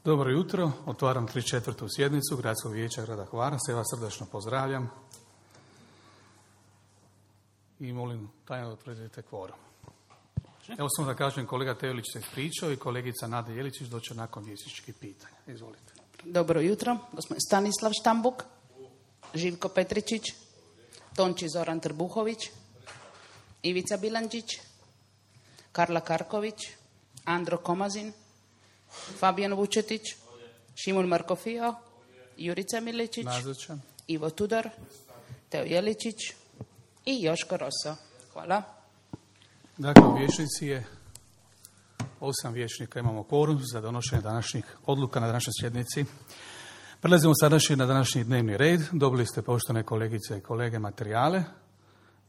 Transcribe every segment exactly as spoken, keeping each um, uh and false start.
Dobro jutro, otvaram trideset četvrtu sjednicu Gradskog vijeća grada Hvara, sve vas srdačno pozdravljam i molim tajno da utvrdite kvorum. Evo samo da kažem, kolega Tevlić se ispričao i kolegica Nada Jeličić doće nakon vjesničkih pitanja. Izvolite. Dobro jutro, gospodin Stanislav Štambuk, Živko Petričić, Tonči Zoran Trbuhović, Ivica Bilandžić, Karla Karković, Andro Komazin, Fabijan Vučetić, Šimun Markofio, Jurica Miličić, Nazočan. Ivo Tudor, Teo Jeličić i Joško Roso. Hvala. Dakle, u vijećnici je osam vijećnika, imamo kvorum za donošenje današnjih odluka na današnjoj sjednici. Prelazimo sadašnji na današnji dnevni red. Dobili ste, poštovane kolegice i kolege, materijale.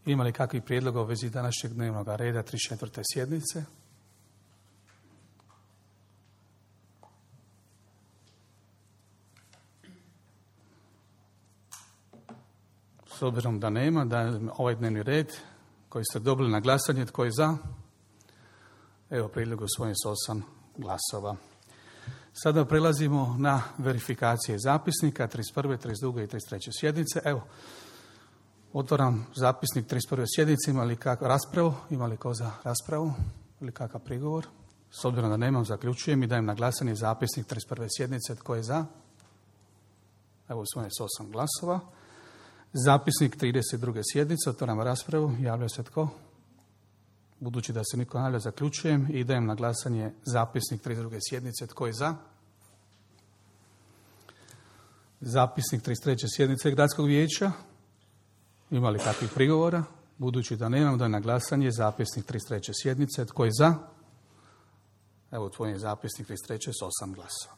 Ima li kakvih prijedloga u vezi današnjeg dnevnog reda trideset četvrte sjednice? S obzirom da nema, da ovaj dnevni red koji ste dobili na glasanje, tko je za? Evo, prijedlog usvojen s osam glasova. Sada prelazimo na verifikacije zapisnika trideset prve, trideset druge i trideset treće sjednice. Evo, otvaram zapisnik trideset prve sjednice. Ima li kakvu raspravu? Ima li ko za raspravu? Ili kakav prigovor? S obzirom da nemam, zaključujem i dajem na glasanje zapisnik trideset prve sjednice. Tko je za? Evo, usvojen s osam glasova. Zapisnik trideset druge sjednice, otvaram raspravu, javlja se tko? Budući da se niko ne javlja, zaključujem i dajem na glasanje zapisnik trideset druge sjednice. Tko je za? Zapisnik trideset treće sjednice Gradskog vijeća. Ima li kakvih prigovora? Budući da nemam, dajem na glasanje zapisnik trideset treće sjednice. Tko je za? Evo, tvoj je zapisnik trideset treće s osam glasova.